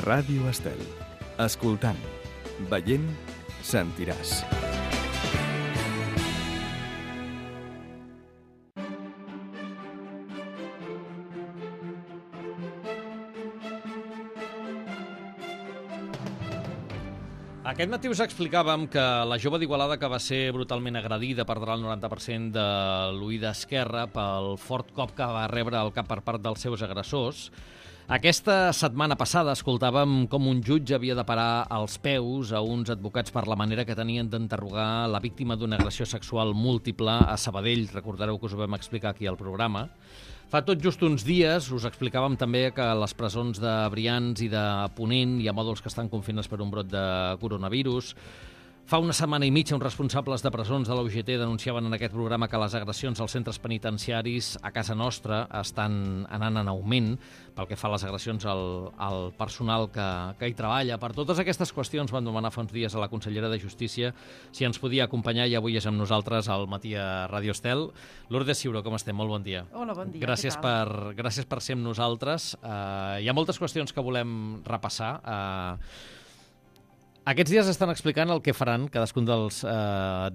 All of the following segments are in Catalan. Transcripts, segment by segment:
Ràdio Estel. Escoltant, veient, sentiràs. Aquest matí us explicàvem que la jove d'Igualada que va ser brutalment agredida perdrà el 90% de l'ull esquerre pel fort cop que va rebre al cap per part dels seus agressors. Aquesta setmana passada escoltàvem com un jutge havia de parar els peus a uns advocats per la manera que tenien d'interrogar la víctima d'una agressió sexual múltiple a Sabadell. Recordareu que us ho vam explicar aquí al programa. Fa tot just uns dies us explicàvem també que a les presons de Brians i de Ponent hi ha mòduls que estan confinats per un brot de coronavirus. Fa una setmana i mitja, uns responsables de presons de la UGT denunciaven en aquest programa que les agressions als centres penitenciaris a casa nostra estan anant en augment pel que fa a les agressions al personal que hi treballa. Per totes aquestes qüestions vam demanar fa uns dies a la consellera de Justícia si ens podia acompanyar i avui és amb nosaltres al matí a Ràdio Estel. Lourdes Ciuró, com estem? Molt bon dia. Hola, bon dia. Gràcies per ser amb nosaltres. Hi ha moltes qüestions que volem repassar. Aquests dies estan explicant el que faran cadascun dels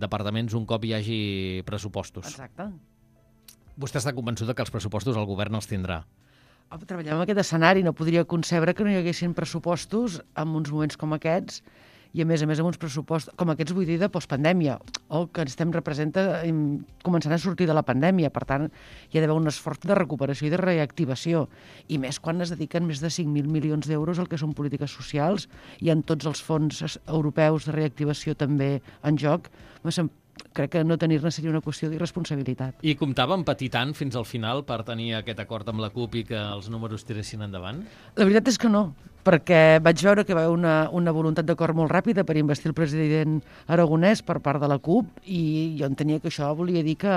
departaments un cop hi hagi pressupostos. Exacte. Vostè està convençuda que els pressupostos el govern els tindrà? Treballem en aquest escenari, no podria concebre que no hi haguessin pressupostos en uns moments com aquests i a més amb uns pressupostos com aquests, vull dir, de postpandèmia, o que començant a sortir de la pandèmia. Per tant, hi ha d'haver un esforç de recuperació i de reactivació, i més quan es dediquen més de 5.000 milions d'euros al que són polítiques socials i en tots els fons europeus de reactivació també en joc. Crec que no tenir-ne seria una qüestió d'irresponsabilitat. I comptàvem patir tant fins al final per tenir aquest acord amb la CUP i que els números tiressin endavant? La veritat és que no, perquè vaig veure que va haver una voluntat d'acord molt ràpida per investir el president Aragonès per part de la CUP i jo entenia que això volia dir que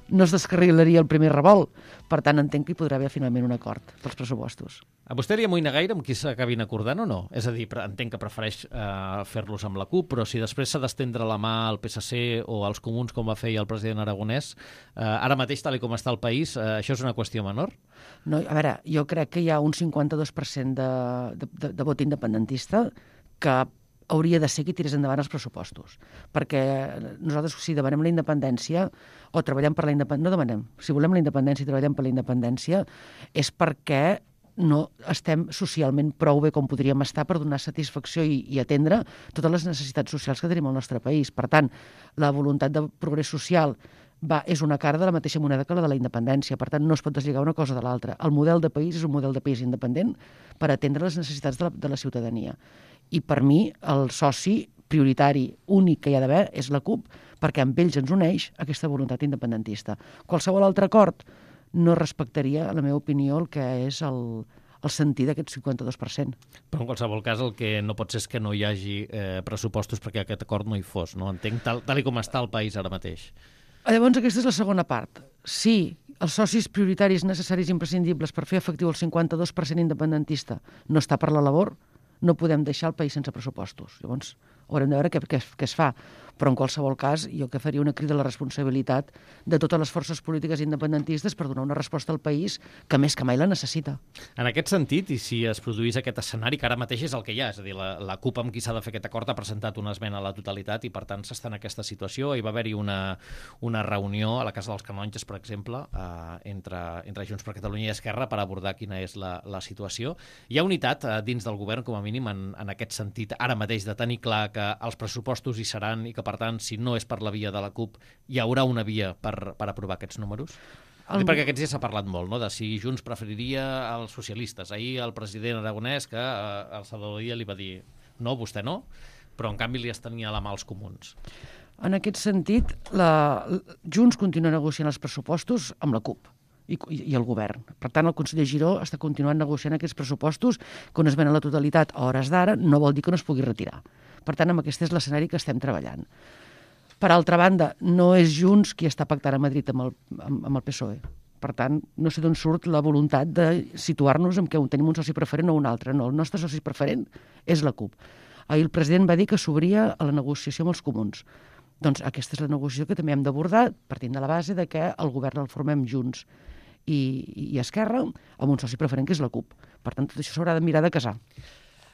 no es descarrilaria el primer revolt. Per tant, entenc que hi podrà haver finalment un acord pels pressupostos. A vostè li amoïna gaire amb qui s'acabin acordant o no? És a dir, entenc que prefereix fer-los amb la CUP, però si després s'ha d'estendre la mà al PSC o als comuns, com va fer el president Aragonès, ara mateix, tal com està el país, això és una qüestió menor? No, a veure, jo crec que hi ha un 52% de vot independentista que hauria de ser qui tirés endavant els pressupostos. Perquè nosaltres, si demanem la independència o treballem per la independència, no demanem, si volem la independència i treballem per la independència, és perquè no estem socialment prou bé com podríem estar per donar satisfacció i atendre totes les necessitats socials que tenim al nostre país. Per tant, la voluntat de progrés social és una cara de la mateixa moneda que la de la independència. Per tant, no es pot deslligar una cosa de l'altra. El model de país és un model de país independent per atendre les necessitats de la ciutadania. I per mi el soci prioritari únic que hi ha d'haver és la CUP, perquè amb ells ens uneix aquesta voluntat independentista. Qualsevol altre acord no respectaria, en la meva opinió, el que és el sentit d'aquest 52%. Però en qualsevol cas el que no pot ser és que no hi hagi pressupostos perquè aquest acord no hi fos, no? Entenc tal com està el país ara mateix. Llavors aquesta és la segona part. Si els socis prioritaris necessaris i imprescindibles per fer efectiu el 52% independentista no està per la labor, no podem deixar el país sense pressupostos. Llavors haurem de veure què es fa. Però en qualsevol cas jo que faria una crida a la responsabilitat de totes les forces polítiques independentistes per donar una resposta al país que més que mai la necessita. En aquest sentit, i si es produís aquest escenari, que ara mateix és el que hi ha, és a dir, la CUP amb qui s'ha de fer aquest acord ha presentat una esmena a la totalitat i per tant s'està en aquesta situació. Hi va haver-hi una reunió a la Casa dels Canonges, per exemple, entre Junts per Catalunya i Esquerra per abordar quina és la situació. Hi ha unitat dins del govern, com a mínim, en aquest sentit, ara mateix, de tenir clar que els pressupostos hi seran i que, per tant, si no és per la via de la CUP, hi haurà una via per aprovar aquests números? Perquè aquests dies s'ha parlat molt, no?, de si Junts preferiria els socialistes. Ahir el president Aragonès, que al Salvador Illa li va dir no, vostè no, però en canvi li estenia la mà als comuns. En aquest sentit, Junts continua negociant els pressupostos amb la CUP i el govern. Per tant, el conseller Giró està continuant negociant aquests pressupostos que una esmena a la totalitat a hores d'ara no vol dir que no es pugui retirar. Per tant, aquest és l'escenari que estem treballant. Per altra banda, no és Junts qui està pactant a Madrid amb el PSOE. Per tant, no sé d'on surt la voluntat de situar-nos en què tenim un soci preferent o un altre. No, el nostre soci preferent és la CUP. Ahir el president va dir que s'obria a la negociació amb els comuns. Doncs aquesta és la negociació que també hem d'abordar, partint de la base de que el govern el formem Junts i Esquerra amb un soci preferent que és la CUP. Per tant, tot això s'haurà de mirar de casar.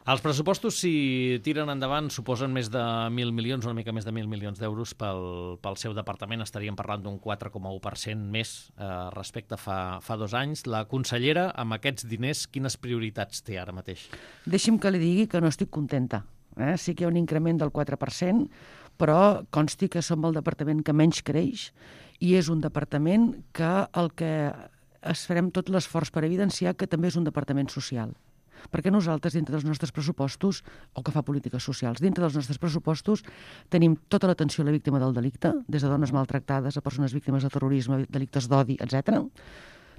Els pressupostos, si tiren endavant, suposen més de 1.000 milions, una mica més de 1.000 milions d'euros pel seu departament. Estaríem parlant d'un 4,1% més respecte a fa 2 anys. La consellera, amb aquests diners, quines prioritats té ara mateix? Deixi'm que li digui que no estic contenta. Sí que hi ha un increment del 4%, però consti que som el departament que menys creix i és un departament que el que es farem tot l'esforç per evidenciar que també és un departament social. Perquè nosaltres, dintre dels nostres pressupostos, o que fa polítiques socials, dintre dels nostres pressupostos tenim tota l'atenció a la víctima del delicte, des de dones maltractades a persones víctimes de terrorisme, delictes d'odi, etc.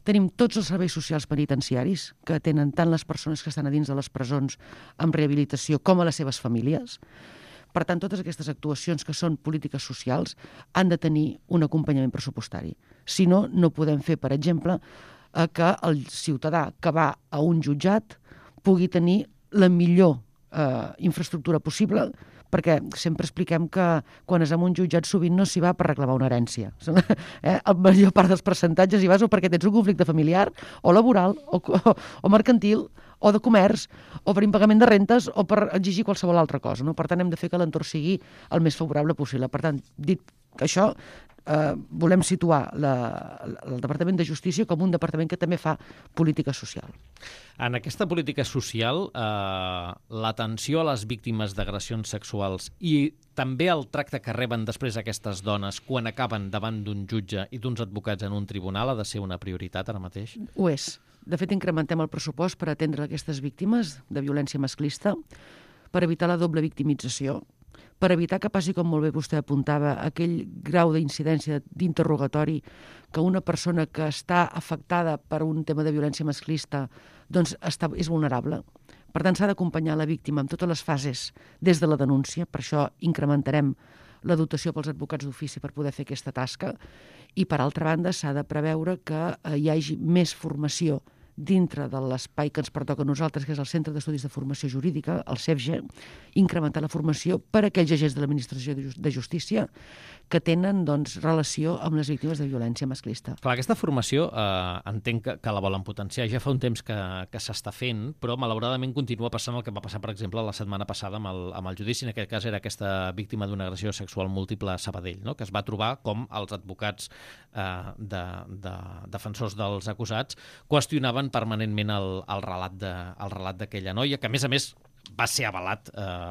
Tenim tots els serveis socials penitenciaris, que atenen tant les persones que estan a dins de les presons amb rehabilitació com a les seves famílies. Per tant, totes aquestes actuacions que són polítiques socials han de tenir un acompanyament pressupostari. Si no, no podem fer, per exemple, que el ciutadà que va a un jutjat pugui tenir la millor infraestructura possible, perquè sempre expliquem que quan és en un jutjat sovint no s'hi va per reclamar una herència. La major part dels percentatges hi vas o perquè tens un conflicte familiar, o laboral, o mercantil, o de comerç, o per impagament de rentes, o per exigir qualsevol altra cosa. No? Per tant, hem de fer que l'entorn sigui el més favorable possible. Per tant, dit que això, volem situar el Departament de Justícia com un departament que també fa política social. En aquesta política social, l'atenció a les víctimes d'agressions sexuals i també el tracte que reben després aquestes dones quan acaben davant d'un jutge i d'uns advocats en un tribunal ha de ser una prioritat ara mateix? Ho és. De fet, incrementem el pressupost per atendre aquestes víctimes de violència masclista, per evitar la doble victimització, per evitar que passi, com molt bé vostè apuntava, aquell grau d'incidència d'interrogatori que una persona que està afectada per un tema de violència masclista doncs és vulnerable. Per tant, s'ha d'acompanyar la víctima en totes les fases des de la denúncia, per això incrementarem la dotació pels advocats d'ofici per poder fer aquesta tasca i, per altra banda, s'ha de preveure que hi hagi més formació dintre de l'espai que ens pertoca a nosaltres, que és el Centre d'Estudis de Formació Jurídica, el CEFGE, incrementar la formació per a aquells agents de l'Administració de Justícia que tenen relació amb les víctimes de violència masclista. Clar, aquesta formació entenc que la volen potenciar. Ja fa un temps que s'està fent, però malauradament continua passant el que va passar, per exemple, la setmana passada amb el judici. En aquest cas era aquesta víctima d'una agressió sexual múltiple a Sabadell, no? Que es va trobar com els advocats defensors dels acusats qüestionaven permanentment el relat d'aquella noia, que a més va ser avalat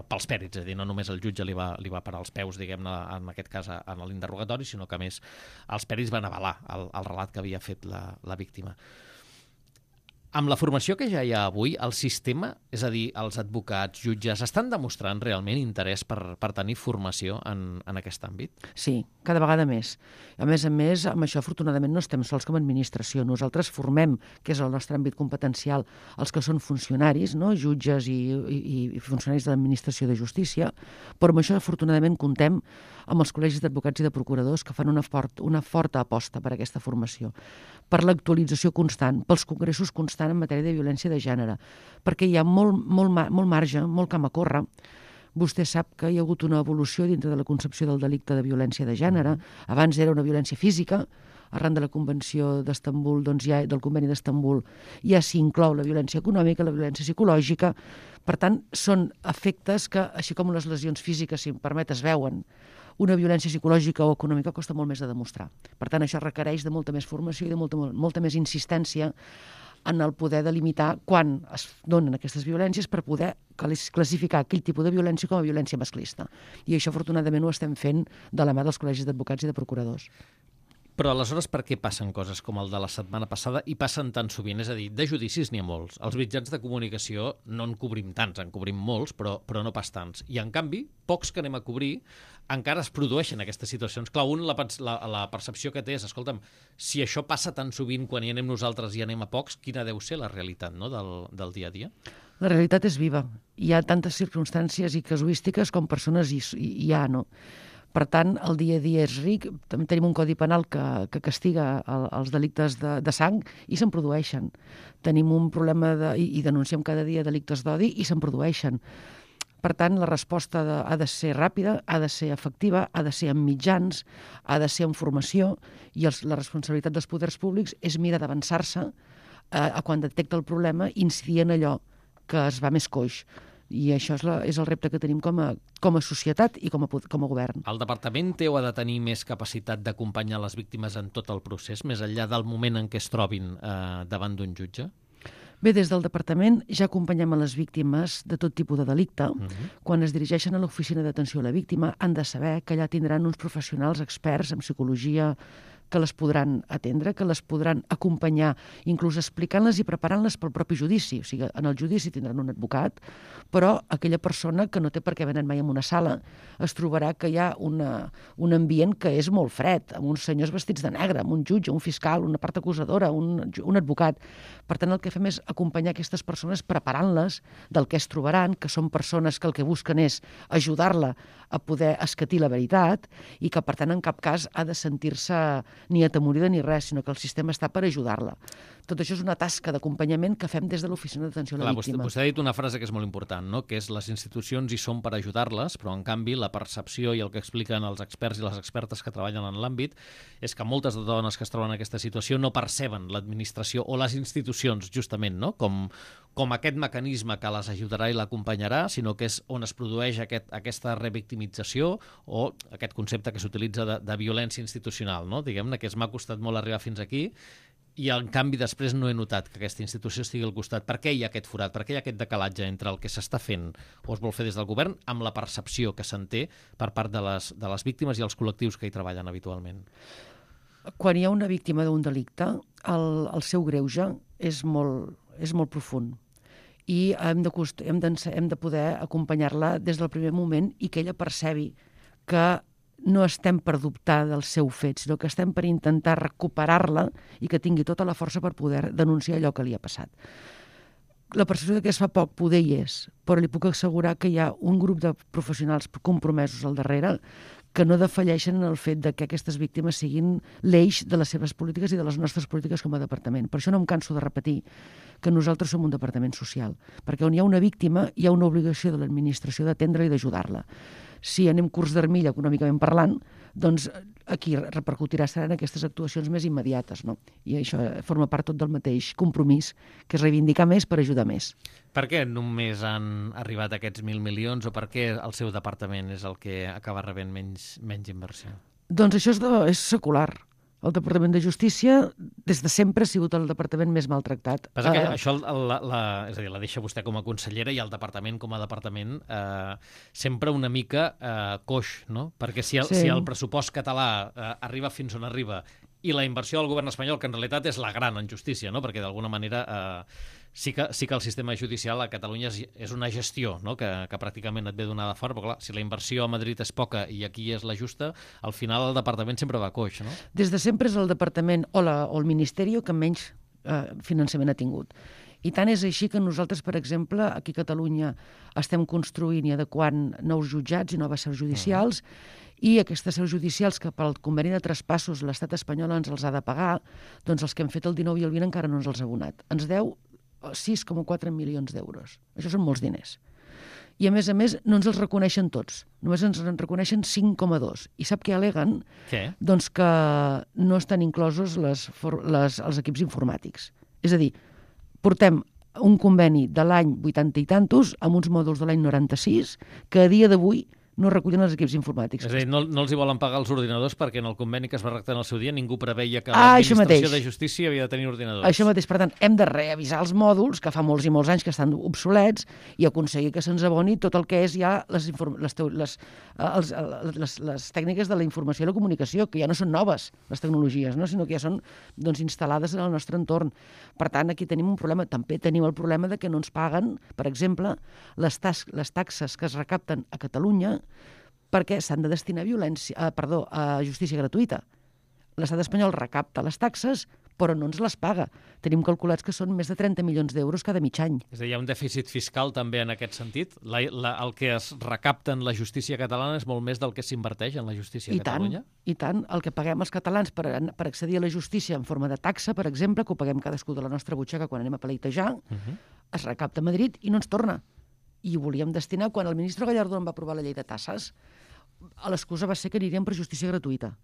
pels pèrits, és a dir, no només el jutge li va parar els peus, diguem-ne, en aquest cas en l'interrogatori, sinó que a més els pèrits van avalar el relat que havia fet la víctima. Amb la formació que ja hi ha avui, el sistema, és a dir, els advocats, jutges, estan demostrant realment interès per tenir formació en aquest àmbit? Sí, cada vegada més. A més, amb això, afortunadament, no estem sols com a administració. Nosaltres formem, que és el nostre àmbit competencial, els que són funcionaris, no? Jutges i funcionaris de l'administració de justícia, però amb això, afortunadament, comptem amb els col·legis d'advocats i de procuradors que fan una forta aposta per aquesta formació, per l'actualització constant, pels congressos constants en matèria de violència de gènere, perquè hi ha molt marge, molt camp a córrer. Vostè sap que hi ha hagut una evolució dintre de la concepció del delicte de violència de gènere. Abans era una violència física, arran de la Convenció d'Estambul, del Conveni d'Estambul, ja s'hi inclou la violència econòmica, la violència psicològica. Per tant, són efectes que, així com les lesions físiques, si em permet, es veuen, una violència psicològica o econòmica costa molt més de demostrar. Per tant, això requereix de molta més formació i de molta més insistència en el poder delimitar quan es donen aquestes violències per poder classificar aquell tipus de violència com a violència masclista. I això, afortunadament, ho estem fent de la mà dels col·legis d'advocats i de procuradors. Però aleshores per què passen coses com el de la setmana passada i passen tan sovint? És a dir, de judicis n'hi ha molts. Els mitjans de comunicació no en cobrim tants, en cobrim molts, però no pas tants. I en canvi, pocs que anem a cobrir, encara es produeixen aquestes situacions. Clar, la percepció que té és, escolta'm, si això passa tan sovint quan hi anem nosaltres i anem a pocs, quina deu ser la realitat, no?, del dia a dia? La realitat és viva. Hi ha tantes circumstàncies i casuístiques com persones hi ha, no? Per tant, el dia a dia és ric. També tenim un codi penal que castiga els delictes de sang i se'n produeixen. Tenim un problema i denunciem cada dia delictes d'odi i se'n produeixen. Per tant, la resposta ha de ser ràpida, ha de ser efectiva, ha de ser amb mitjans, ha de ser amb formació i la responsabilitat dels poders públics és mirar d'avançar-se a quan detecta el problema i incidir en allò que es va més coix. I això és el repte que tenim com a societat i com a govern. El departament té o ha de tenir més capacitat d'acompanyar les víctimes en tot el procés, més enllà del moment en què es trobin davant d'un jutge? Bé, des del departament ja acompanyem a les víctimes de tot tipus de delicte. Quan es dirigeixen a l'oficina d'atenció a la víctima han de saber que allà tindran uns professionals experts en psicologia que les podran atendre, que les podran acompanyar, inclús explicant-les i preparant-les pel propi judici. O sigui, en el judici tindran un advocat, però aquella persona que no té per què venir mai en una sala es trobarà que hi ha un ambient que és molt fred, amb uns senyors vestits de negre, amb un jutge, un fiscal, una part acusadora, un advocat. Per tant, el que fem és acompanyar aquestes persones preparant-les del que es trobaran, que són persones que el que busquen és ajudar-la a poder escatir la veritat i que, per tant, en cap cas ha de sentir-se ni atemorida ni res, sinó que el sistema està per ajudar-la. Tot això és una tasca d'acompanyament que fem des de l'oficina d'atenció a la víctima. Vostè ha dit una frase que és molt important, no? Que és les institucions hi són per ajudar-les, però en canvi la percepció i el que expliquen els experts i les expertes que treballen en l'àmbit és que moltes de dones que es troben en aquesta situació no perceben l'administració o les institucions, justament, no? com aquest mecanisme que les ajudarà i l'acompanyarà, sinó que és on es produeix aquesta revictimització o aquest concepte que s'utilitza de violència institucional, no? Diguem-ne que m'ha costat molt arribar fins aquí i en canvi després no he notat que aquesta institució estigui al costat. Per què hi ha aquest forat? Per què hi ha aquest decalatge entre el que s'està fent o es vol fer des del govern amb la percepció que se'n té per part de les víctimes i els col·lectius que hi treballen habitualment? Quan hi ha una víctima d'un delicte, el seu greuge és molt profund i hem de poder acompanyar-la des del primer moment i que ella percebi que no estem per dubtar del seu fet, sinó que estem per intentar recuperar-la i que tingui tota la força per poder denunciar allò que li ha passat. La percepció que es fa poc poder hi és, però li puc assegurar que hi ha un grup de professionals compromesos al darrere que no defalleixen en el fet de que aquestes víctimes siguin l'eix de les seves polítiques i de les nostres polítiques com a departament. Per això no em canso de repetir que nosaltres som un departament social, perquè on hi ha una víctima hi ha una obligació de l'administració d'atendre-la i d'ajudar-la. Si anem curs d'armilla econòmicament parlant, doncs aquí repercutirà seran aquestes actuacions més immediates, no? I això forma part tot del mateix compromís, que és reivindicar més per ajudar més. Per què només han arribat aquests 1.000 milions o per què el seu departament és el que acaba rebent menys inversió? Doncs això és secular. El Departament de Justícia, des de sempre, ha sigut el departament més maltractat. Passa que això és a dir, la deixa vostè com a consellera i el departament com a departament sempre una mica coix, no? Perquè si el pressupost català arriba fins on arriba i la inversió del govern espanyol, que en realitat és la gran en justícia, no? Perquè d'alguna manera sí que el sistema judicial a Catalunya és una gestió, no? que pràcticament et ve donada fora, però clar, si la inversió a Madrid és poca i aquí és la justa, al final el departament sempre va coix, no? Des de sempre és el departament o el Ministeri que menys finançament ha tingut. I tant és així que nosaltres, per exemple, aquí a Catalunya estem construint i adequant nous jutjats i noves seus judicials, i aquestes seus judicials que pel conveni de traspassos l'estat espanyol ens els ha de pagar, doncs els que hem fet el 19 i el 20 encara no ens els ha abonat. Ens deu 6,4 milions d'euros. Això són molts diners. I, a més, no ens els reconeixen tots. Només ens en reconeixen 5,2. I sap què al·leguen? Què? Doncs que no estan inclosos els equips informàtics. És a dir, portem un conveni de l'any 80 i tantos amb uns mòduls de l'any 96 que a dia d'avui no recullen els equips informàtics. És a dir, no els hi volen pagar els ordinadors perquè en el conveni que es va redactar en el seu dia ningú preveia que l'administració de justícia havia de tenir ordinadors. Això mateix. Per tant, hem de revisar els mòduls, que fa molts i molts anys que estan obsolets, i aconseguir que se'ns aboni tot el que és ja les tècniques de la informació i la comunicació, que ja no són noves, les tecnologies, no? Sinó que ja són instal·lades en el nostre entorn. Per tant, aquí tenim un problema. També tenim el problema de que no ens paguen, per exemple, les taxes que es recapten a Catalunya perquè s'han de destinar a justícia gratuïta. L'estat espanyol recapta les taxes, però no ens les paga. Tenim calculats que són més de 30 milions d'euros cada mig any. És a dir, hi ha un dèficit fiscal també en aquest sentit? El que es recapta en la justícia catalana és molt més del que s'inverteix en la justícia a Catalunya? I tant. El que paguem els catalans per accedir a la justícia en forma de taxa, per exemple, que ho paguem cadascú de la nostra butxaca quan anem a pleitejar, es recapta a Madrid i no ens torna. I ho volíem destinar, quan el ministre Gallardón va aprovar la llei de tasses, l'excusa va ser que aniríem per justícia gratuïta.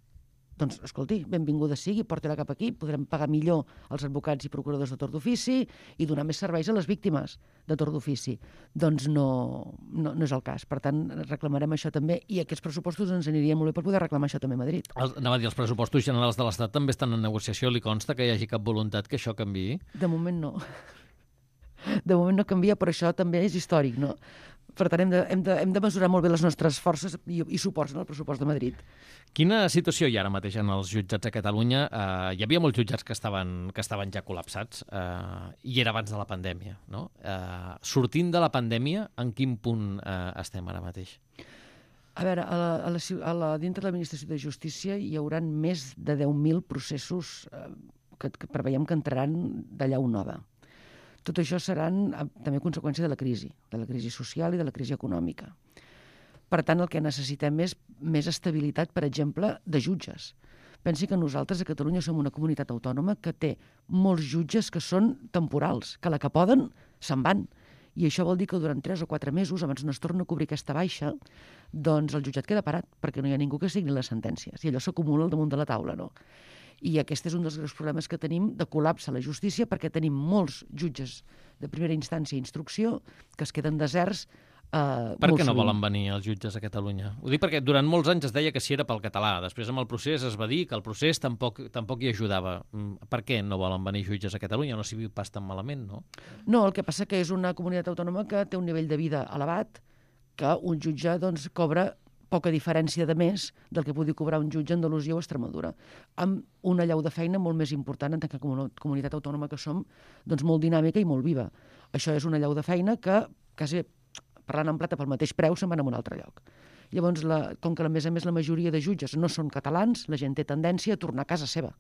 doncs, escolti, benvinguda sigui, porti-la cap aquí, podrem pagar millor els advocats i procuradors de torn d'ofici i donar més serveis a les víctimes de torn d'ofici. Doncs no és el cas. Per tant, reclamarem això també, i aquests pressupostos ens anirien molt bé per poder reclamar això també a Madrid. Anava a dir, els pressupostos generals de l'Estat també estan en negociació. Li consta que hi hagi cap voluntat que això canviï? De moment no. De moment no canvia, però això també és històric, no? Per tant, hem de mesurar molt bé les nostres forces i suports en el pressupost de Madrid. Quina situació hi ha ara mateix en els jutjats a Catalunya? Hi havia molts jutjats que estaven ja col·lapsats, i era abans de la pandèmia, no? Sortint de la pandèmia, en quin punt estem ara mateix? A veure, dintre de l'Administració de Justícia hi haurà més de 10.000 processos que preveiem que entraran de llau nova. Tot això seran també conseqüència de la crisi social i de la crisi econòmica. Per tant, el que necessitem és més estabilitat, per exemple, de jutges. Pensi que nosaltres a Catalunya som una comunitat autònoma que té molts jutges que són temporals, que la que poden se'n van. I això vol dir que durant 3 o 4 mesos, abans no es torna a cobrir aquesta baixa, doncs el jutjat queda parat, perquè no hi ha ningú que signi les sentències. I allò s'acumula al damunt de la taula, no? I aquest és un dels greus problemes que tenim de col·lapse a la justícia, perquè tenim molts jutges de primera instància i instrucció que es queden deserts. Per què no volen venir els jutges a Catalunya? Ho dic perquè durant molts anys es deia que si era pel català. Després amb el procés es va dir que el procés tampoc hi ajudava. Per què no volen venir jutges a Catalunya? No s'hi viu pas tan malament, no? No, el que passa que és una comunitat autònoma que té un nivell de vida elevat, que un jutge doncs, cobra poca diferència de més del que pugui cobrar un jutge a Andalusia o Extremadura, amb una llau de feina molt més important en tant que comunitat autònoma que som, doncs molt dinàmica i molt viva. Això és una llau de feina que, quasi parlant en plata pel mateix preu, se'n van a un altre lloc. Llavors, com que a més a més la majoria de jutges no són catalans, la gent té tendència a tornar a casa seva,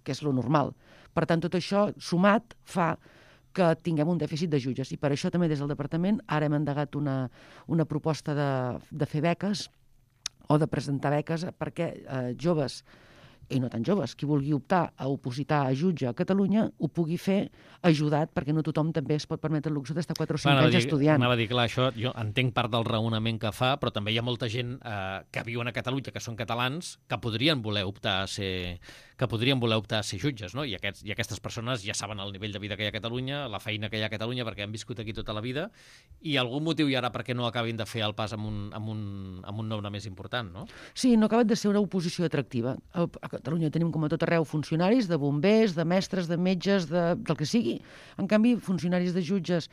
que és lo normal. Per tant, tot això sumat fa que tinguem un dèficit de jutges. I per això també des del departament ara hem endegat una proposta de fer beques o de presentar beques perquè joves, i no tan joves, qui vulgui optar a opositar a jutge a Catalunya ho pugui fer ajudat, perquè no tothom també es pot permetre el luxe d'estar 4 o 5 anys estudiant. Anava a dir, clar, això jo entenc part del raonament que fa, però també hi ha molta gent que viuen a Catalunya, que són catalans, que podrien voler optar a ser jutges, no? I aquestes persones ja saben el nivell de vida que hi ha a Catalunya, la feina que hi ha a Catalunya, perquè han viscut aquí tota la vida, i algun motiu hi ha ara perquè no acabin de fer el pas amb un nombre més important, no? Sí, no ha acabat de ser una oposició atractiva. A Catalunya tenim, com a tot arreu, funcionaris, de bombers, de mestres, de metges, del que sigui. En canvi, funcionaris de jutges,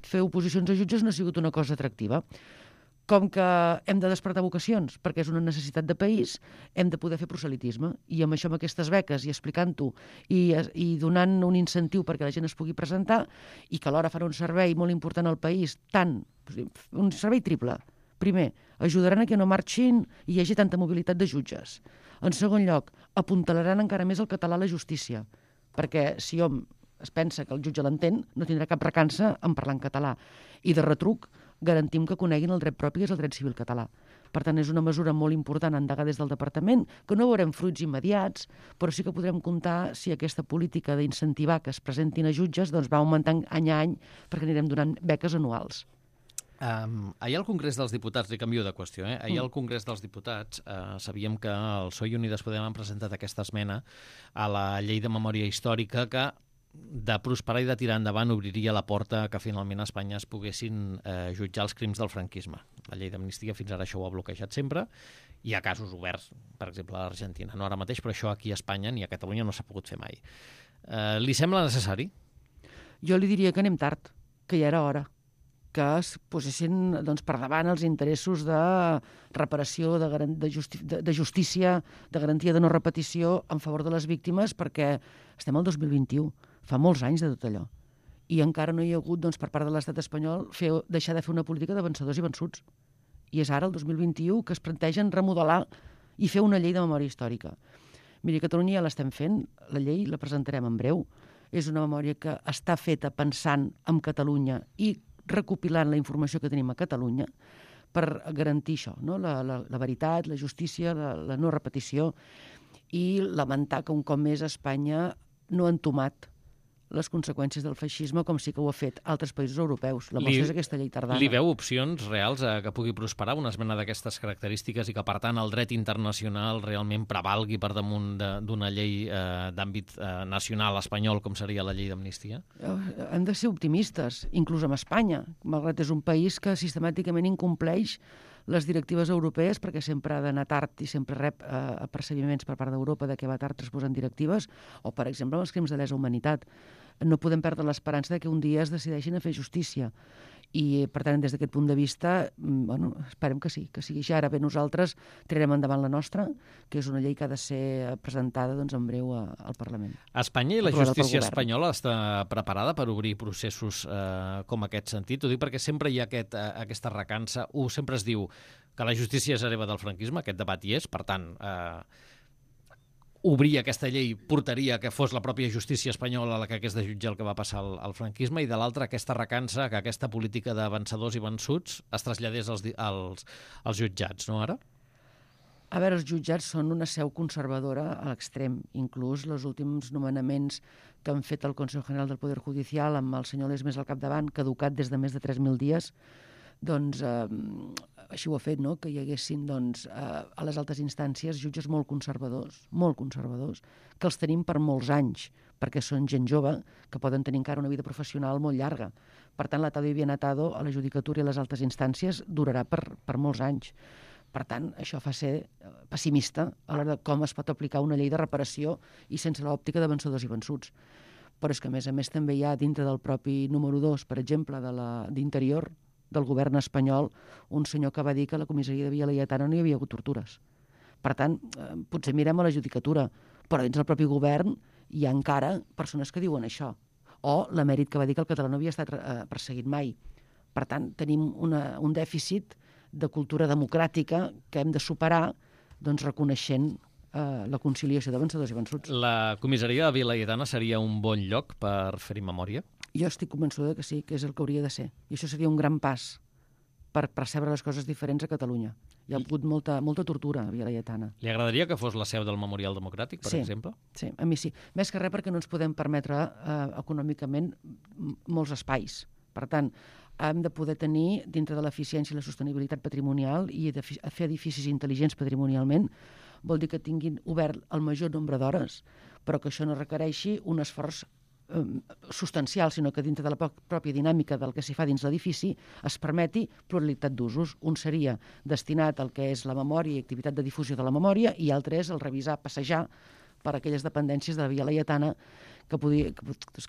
fer oposicions a jutges no ha sigut una cosa atractiva. Com que hem de despertar vocacions, perquè és una necessitat de país, hem de poder fer proselitisme. I amb això, amb aquestes beques, i explicant-ho, i donant un incentiu perquè la gent es pugui presentar, i que alhora farà un servei molt important al país, un servei triple. Primer, ajudaran a que no marxin i hi hagi tanta mobilitat de jutges. En segon lloc, apuntalaran encara més el català a la justícia, perquè si hom es pensa que el jutge l'entén, no tindrà cap recança en parlar en català. I de retruc, garantim que coneguin el dret propi, que és el dret civil català. Per tant, és una mesura molt important endegar des del departament, que no veurem fruits immediats, però sí que podrem comptar si aquesta política d'incentivar que es presentin a jutges doncs va augmentant any a any, perquè anirem donant beques anuals. Ahir al Congrés dels Diputats, li canvio de qüestió, ahir al Congrés dels Diputats sabíem que el PSOE i Unides Podem han presentat aquesta esmena a la llei de memòria històrica que de prosperar i de tirar endavant obriria la porta que finalment a Espanya es poguessin jutjar els crims del franquisme. La llei d'amnistia fins ara això ho ha bloquejat sempre. Hi ha casos oberts, per exemple a l'Argentina, no ara mateix, però això aquí a Espanya ni a Catalunya no s'ha pogut fer mai. Li sembla necessari? Jo li diria que anem tard, que ja era hora, que es posessin per davant els interessos de reparació, de justícia, de garantia de no repetició en favor de les víctimes, perquè estem al 2021, fa molts anys de tot allò. I encara no hi ha hagut, per part de l'estat espanyol, deixar de fer una política de vencedors i vençuts. I és ara, el 2021, que es plantegen remodelar i fer una llei de memòria històrica. Miri, a Catalunya ja l'estem fent, la llei la presentarem en breu, és una memòria que està feta pensant en Catalunya i recopilant la informació que tenim a Catalunya per garantir això, no? La veritat, la justícia, la no repetició, i lamentar que un cop més a Espanya no ha entomat les conseqüències del feixisme, com sí que ho ha fet altres països europeus. La mostra és aquesta llei tardana. Li veu opcions reals a que pugui prosperar una esmena d'aquestes característiques i que, per tant, el dret internacional realment prevalgui per damunt d'una llei d'àmbit nacional espanyol, com seria la llei d'amnistia? Hem de ser optimistes, inclús amb Espanya, malgrat és un país que sistemàticament incompleix les directives europees, perquè sempre ha d'anar tard i sempre rep apercebiments per part d'Europa de que va tard transposant directives, o, per exemple, els crims de lesa humanitat. No podem perdre l'esperança que un dia es decideixin a fer justícia. I, per tant, des d'aquest punt de vista, esperem que sí, que sigui així. Ara bé, nosaltres tirarem endavant la nostra, que és una llei que ha de ser presentada en breu al Parlament. Espanya i la justícia espanyola està preparada per obrir processos com aquest sentit? Ho dic perquè sempre hi ha aquesta recança. Sempre es diu que la justícia és hereva del franquisme, aquest debat hi és, per tant, obrir aquesta llei portaria que fos la pròpia justícia espanyola la que hagués de jutjar el que va passar al franquisme, i de l'altra aquesta recança, que aquesta política de vencedors i vençuts es traslladés als jutjats, no ara? A veure, els jutjats són una seu conservadora a l'extrem. Inclús els últims nomenaments que han fet el Consejo General del Poder Judicial amb el senyor Lesmes al capdavant, caducat des de més de 3.000 dies, doncs així ho ha fet, no? Que hi haguessin a les altes instàncies jutges molt conservadors, que els tenim per molts anys, perquè són gent jove que poden tenir encara una vida professional molt llarga. Per tant, l'atado y bien atado a la judicatura i a les altes instàncies durarà per molts anys. Per tant, això fa ser pessimista a l'hora de com es pot aplicar una llei de reparació i sense l'òptica de vencedors i vençuts. Però és que, a més, també hi ha dintre del propi número 2, per exemple, d'Interior, del govern espanyol, un senyor que va dir que a la comissaria de Via Laietana no hi havia hagut tortures. Per tant, potser mirem a la judicatura, però dins del propi govern hi ha encara persones que diuen això. O l'emèrit que va dir que el català no havia estat perseguit mai. Per tant, tenim un dèficit de cultura democràtica que hem de superar reconeixent la conciliació de vencedors i vençuts. La comissaria de Via Laietana seria un bon lloc per fer-hi memòria? Jo estic convençuda que sí, que és el que hauria de ser. I això seria un gran pas per percebre les coses diferents a Catalunya. Hi ha hagut molta tortura a Via Laietana. Li agradaria que fos la seu del Memorial Democràtic, per exemple? Sí, a mi sí. Més que res perquè no ens podem permetre econòmicament molts espais. Per tant, hem de poder tenir, dintre de l'eficiència i la sostenibilitat patrimonial i de fer edificis intel·ligents patrimonialment, vol dir que tinguin obert el major nombre d'hores, però que això no requereixi un esforç substancial, sinó que dintre de la pròpia dinàmica del que s'hi fa dins l'edifici es permeti pluralitat d'usos. Un seria destinat al que és la memòria i activitat de difusió de la memòria, i altre és el revisar, passejar per aquelles dependències de la Via Laietana, que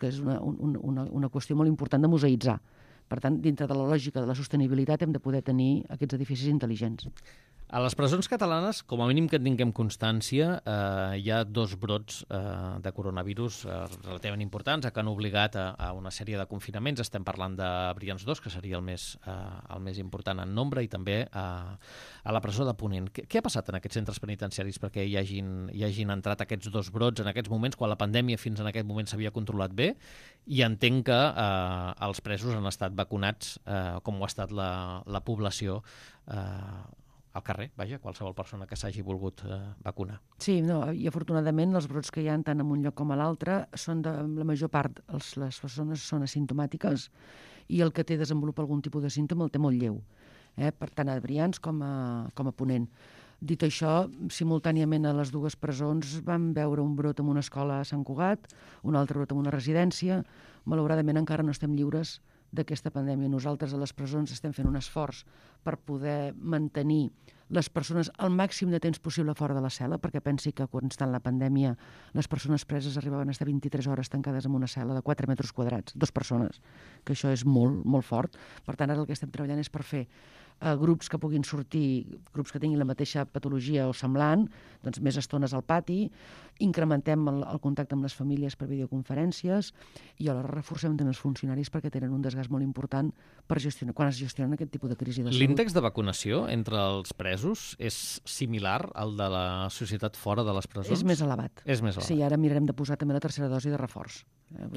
és una qüestió molt important de museïtzar. Per tant, dintre de la lògica de la sostenibilitat hem de poder tenir aquests edificis intel·ligents. A les presons catalanes, com a mínim que en tinguem constància, hi ha 2 brots de coronavirus relativament importants que han obligat a una sèrie de confinaments. Estem parlant de Brians 2, que seria el més important en nombre, i també a la presó de Ponent. Què ha passat en aquests centres penitenciaris perquè hi hagin entrat aquests 2 brots en aquests moments, quan la pandèmia fins en aquest moment s'havia controlat bé? I entenc que els presos han estat vacunats, com ho ha estat la població al carrer, qualsevol persona que s'hagi volgut vacunar. Sí, i afortunadament els brots que hi ha tant en un lloc com a l'altre són la major part, les persones són asimptomàtiques, i el que desenvolupa algun tipus de símptoma el té molt lleu, per tant a Brians com a Ponent. Dit això, simultàniament a les 2 presons vam veure un brot en una escola a Sant Cugat, un altre brot en una residència. Malauradament encara no estem lliures d'aquesta pandèmia. Nosaltres a les presons estem fent un esforç per poder mantenir les persones el màxim de temps possible fora de la cel·la, perquè pensi que quan està en la pandèmia les persones preses arribaven a estar 23 hores tancades en una cel·la de 4 metres quadrats, 2 persones, que això és molt, molt fort. Per tant, ara el que estem treballant és per fer grups que puguin sortir, grups que tinguin la mateixa patologia o semblant, doncs més estones al pati, incrementem el contacte amb les famílies per videoconferències, i alhora reforcem també els funcionaris perquè tenen un desgast molt important per gestionar, quan es gestionen aquest tipus de crisi de salut. L'índex de vacunació entre els presos és similar al de la societat fora de les presons? És més elevat. És més elevat. Sí, ara mirarem de posar també la tercera dosi de reforç.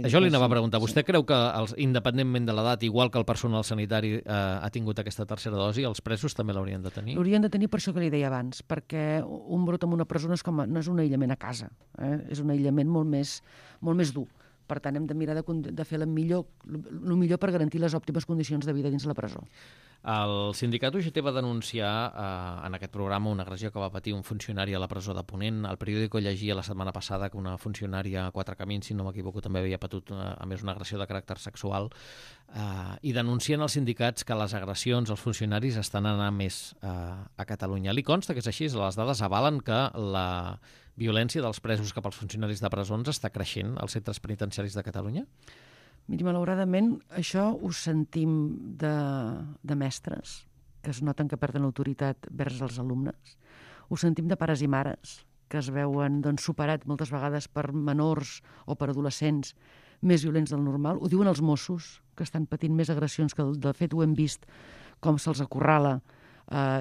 Això li anava a preguntar. Vostè creu que, independentment de l'edat, igual que el personal sanitari ha tingut aquesta tercera dosi, els presos també l'haurien de tenir? L'haurien de tenir per això que li deia abans, perquè un brot en una presó no és un aïllament a casa, és un aïllament molt més dur, Per tant, hem de mirar de fer el millor per garantir les òptimes condicions de vida dins la presó. El sindicat UGT va denunciar en aquest programa una agressió que va patir un funcionari a la presó de Ponent. El periòdico llegia la setmana passada que una funcionària a Quatre Camins, si no m'equivoco, també havia patit a més una agressió de caràcter sexual, i denuncien els sindicats que les agressions als funcionaris estan anant més a Catalunya. Li consta que és així? Les dades avalen que la violència dels presos cap als funcionaris de presons està creixent als centres penitenciaris de Catalunya? Miri, malauradament, això ho sentim de mestres, que es noten que perden l'autoritat vers els alumnes. Ho sentim de pares i mares, que es veuen superats moltes vegades per menors o per adolescents més violents del normal. Ho diuen els Mossos, que estan patint més agressions, que de fet ho hem vist com se'ls acorrala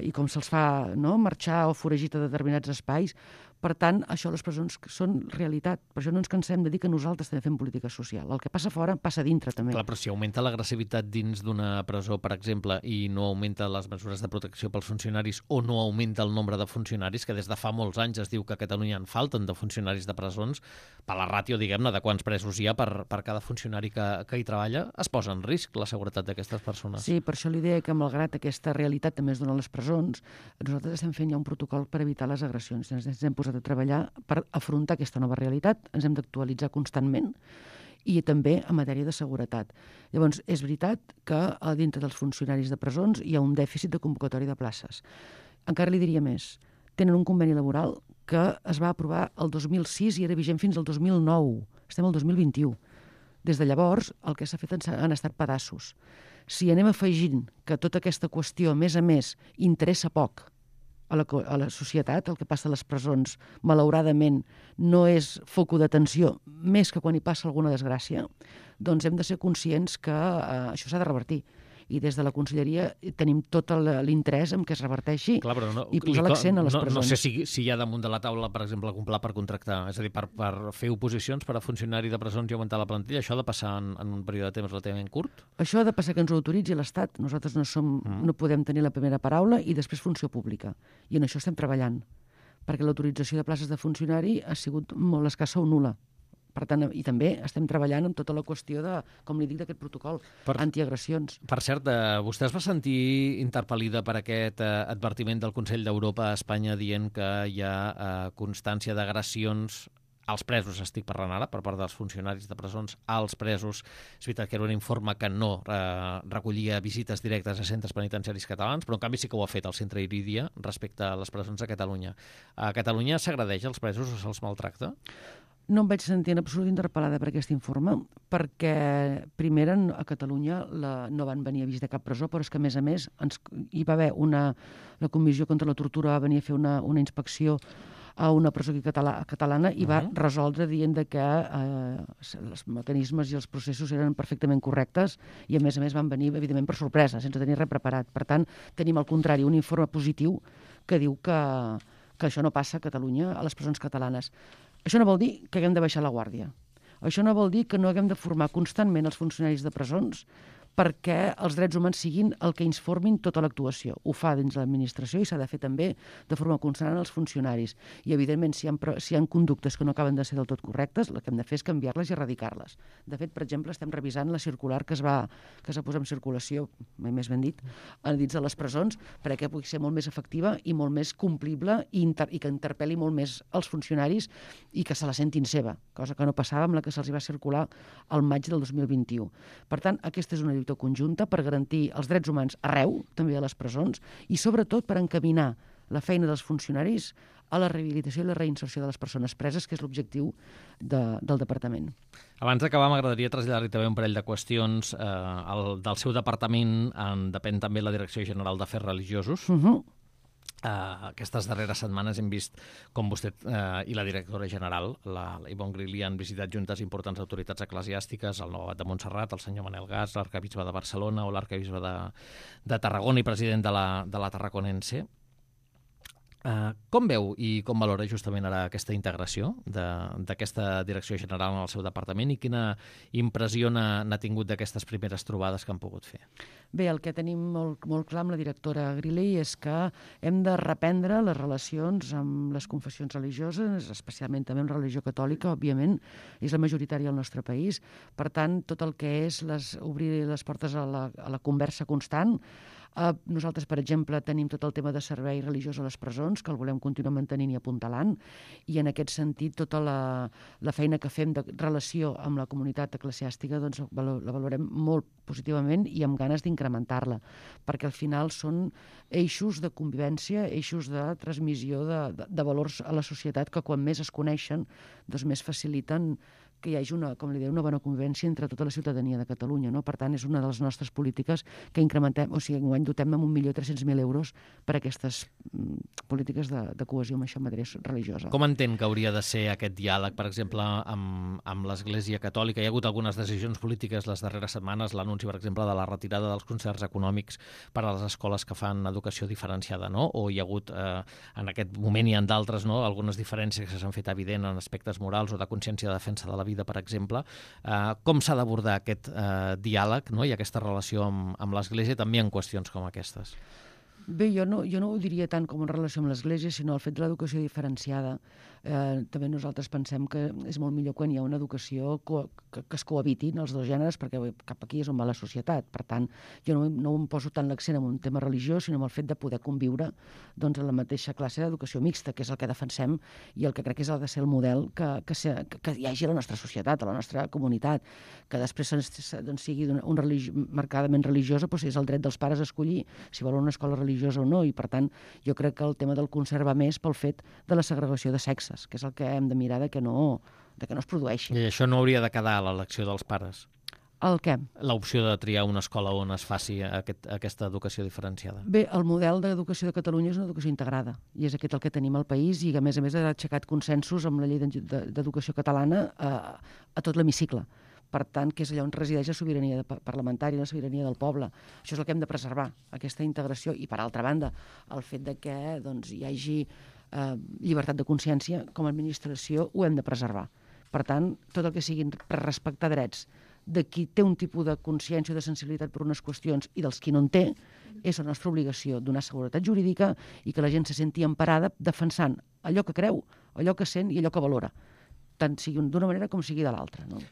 i com se'ls fa marxar o foragir a determinats espais. Per tant, això a les presons són realitat. Per això no ens cansem de dir que nosaltres també fem política social. El que passa fora passa dintre, també. Clar, però si augmenta l'agressivitat dins d'una presó, per exemple, i no augmenta les mesures de protecció pels funcionaris o no augmenta el nombre de funcionaris, que des de fa molts anys es diu que a Catalunya en falten de funcionaris de presons, per la ràtio, diguem-ne, de quants presos hi ha per cada funcionari que hi treballa, es posa en risc la seguretat d'aquestes persones. Sí, per això l'idea que, malgrat aquesta realitat també es dona a les presons, nosaltres estem fent ja un protocol per evitar les agressions. Ens hem posat a treballar per afrontar aquesta nova realitat, ens hem d'actualitzar constantment i també en matèria de seguretat. Llavors, és veritat que dintre dels funcionaris de presons hi ha un dèficit de convocatòria de places. Encara li diria més, tenen un conveni laboral que es va aprovar el 2006 i era vigent fins al 2009. Estem al 2021. Des de llavors, el que s'ha fet han estat pedaços. Si anem afegint que tota aquesta qüestió, a més, interessa poc a la societat, el que passa a les presons, malauradament, no és foco d'atenció, més que quan hi passa alguna desgràcia, doncs hem de ser conscients que això s'ha de revertir. I des de la Conselleria tenim tot l'interès en què es reverteixi. Clar, i posar l'accent a les presons. No sé si hi ha damunt de la taula, per exemple, algun pla per contractar, és a dir, per fer oposicions per a funcionari de presons i augmentar la plantilla. Això ha de passar en un període de temps relativament curt? Això ha de passar que ens ho autoritzi l'Estat. Nosaltres no podem tenir la primera paraula i després funció pública. I en això estem treballant, perquè l'autorització de places de funcionari ha sigut molt escassa o nul·la. Per tant, i també estem treballant amb tota la qüestió de, com li dic, d'aquest protocol antiagressions. Per cert, vostè es va sentir interpel·lida per aquest advertiment del Consell d'Europa a Espanya dient que hi ha constància d'agressions als presos, estic parlant ara, per part dels funcionaris de presons, als presos. És veritat que era un informe que no recollia visites directes a centres penitenciaris catalans, però en canvi sí que ho ha fet el Centre Iridia respecte a les presons de Catalunya. A Catalunya s'agredeix als presos o se'ls maltracta? No em vaig sentir en absolut interpel·lada per aquest informe, perquè, primer, a Catalunya no van venir a visitar cap presó, però és que, a més, hi va haver la Comissió contra la Tortura va venir a fer una inspecció a una presó catalana i va resoldre dient que els mecanismes i els processos eren perfectament correctes i, a més, van venir, evidentment, per sorpresa, sense tenir res preparat. Per tant, tenim, al contrari, un informe positiu que diu que això no passa a Catalunya, a les presons catalanes. Això no vol dir que haguem de baixar la guàrdia. Això no vol dir que no haguem de formar constantment els funcionaris de presons perquè els drets humans siguin el que informin tota l'actuació. Ho fa dins l'administració i s'ha de fer també de forma constant als funcionaris. I, evidentment, si hi ha conductes que no acaben de ser del tot correctes, el que hem de fer és canviar-les i erradicar-les. De fet, per exemple, estem revisant la circular que es va posar en circulació, mai més ben dit, dins de les presons, perquè pugui ser molt més efectiva i molt més complible i que interpel·li molt més els funcionaris i que se la sentin seva, cosa que no passava amb la que se'ls va circular al maig del 2021. Per tant, aquesta és una lluita conjunta per garantir els drets humans arreu, també a les presons, i sobretot per encaminar la feina dels funcionaris a la rehabilitació i la reinserció de les persones preses, que és l'objectiu del departament. Abans d'acabar, m'agradaria traslladar-li també un parell de qüestions. Del seu departament en depèn també la Direcció General d'Afers Religiosos. Aquestes darreres setmanes hem vist com vostè i la directora general, la Ivonne Grilli, han visitat juntes importants autoritats eclesiàstiques, el nou abat de Montserrat, el senyor Manel Gas, l'arcabisbe de Barcelona o l'arcabisbe de Tarragona i president de la Tarraconense. Com veu i com valora justament ara aquesta integració d'aquesta direcció general en el seu departament i quina impressió n'ha tingut d'aquestes primeres trobades que han pogut fer? Bé, el que tenim molt clar amb la directora Griley és que hem de reprendre les relacions amb les confessions religioses, especialment també amb la religió catòlica, òbviament, és la majoritària al nostre país. Per tant, tot el que és obrir les portes a la conversa constant. Nosaltres, per exemple, tenim tot el tema de servei religiós a les presons, que el volem continuar mantenint i apuntalant, i en aquest sentit tota la feina que fem de relació amb la comunitat eclesiàstica doncs, la valorem molt positivament i amb ganes d'incrementar-la, perquè al final són eixos de convivència, eixos de transmissió de valors a la societat que quan més es coneixen, doncs més faciliten que hi hagi una bona convivència entre tota la ciutadania de Catalunya. No? Per tant, és una de les nostres polítiques que incrementem, o sigui, enguany dotem amb 1.300.000 euros per a aquestes polítiques de cohesió en matèria religiosa. Com entén que hauria de ser aquest diàleg, per exemple, amb l'Església Catòlica? Hi ha hagut algunes decisions polítiques les darreres setmanes, l'anunci, per exemple, de la retirada dels concerts econòmics per a les escoles que fan educació diferenciada, no? O hi ha hagut, en aquest moment i en d'altres, no? Algunes diferències que s'han fet evident en aspectes morals o de consciència de defensa de la vida, per exemple. Com s'ha d'abordar aquest diàleg, no? I aquesta relació amb l'Església també en qüestions com aquestes? Bé, jo no ho diria tant com en relació amb l'Església, sinó el fet de l'educació diferenciada. També nosaltres pensem que és molt millor quan hi ha una educació que es cohabitin els dos gèneres, perquè cap aquí és on va la societat. Per tant, jo no em poso tant l'accent en un tema religiós, sinó en el fet de poder conviure doncs, en la mateixa classe d'educació mixta, que és el que defensem i el que crec que ha de ser el model que hi hagi a la nostra societat, a la nostra comunitat, que després doncs, sigui marcadament religiosa, doncs és el dret dels pares a escollir si volen una escola religiosa o no, i per tant jo crec que el tema del concert va més pel fet de la segregació de sexes, que és el que hem de mirar que no es produeixi. I això no hauria de quedar a l'elecció dels pares? El què? L'opció de triar una escola on es faci aquesta educació diferenciada. Bé, el model d'educació de Catalunya és una educació integrada, i és aquest el que tenim al país, i que a més ha aixecat consensos amb la llei d'educació catalana a tot l'hemicicle. Per tant, que és allà on resideix la sobirania parlamentària, la sobirania del poble. Això és el que hem de preservar, aquesta integració. I, per altra banda, el fet de que doncs, hi hagi llibertat de consciència com a administració ho hem de preservar. Per tant, tot el que sigui per respectar drets de qui té un tipus de consciència o de sensibilitat per unes qüestions i dels qui no en té, és la nostra obligació donar seguretat jurídica i que la gent se senti emparada defensant allò que creu, allò que sent i allò que valora, tant sigui d'una manera com sigui de l'altra. No?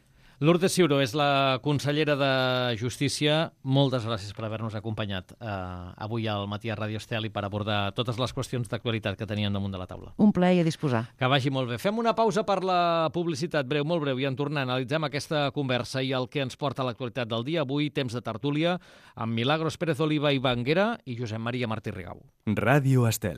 Lourdes Ciuró és la consellera de Justícia. Moltes gràcies per haver-nos acompanyat avui al matí a Radio Estel i per abordar totes les qüestions d'actualitat que teníem damunt de la taula. Un plaer a disposar. Que vagi molt bé. Fem una pausa per la publicitat breu, molt breu, i en tornar analitzem aquesta conversa i el que ens porta a l'actualitat del dia. Avui, temps de tertúlia amb Milagros Pérez Oliva i Banguera i Josep Maria Martí Rigau. Ràdio Estel.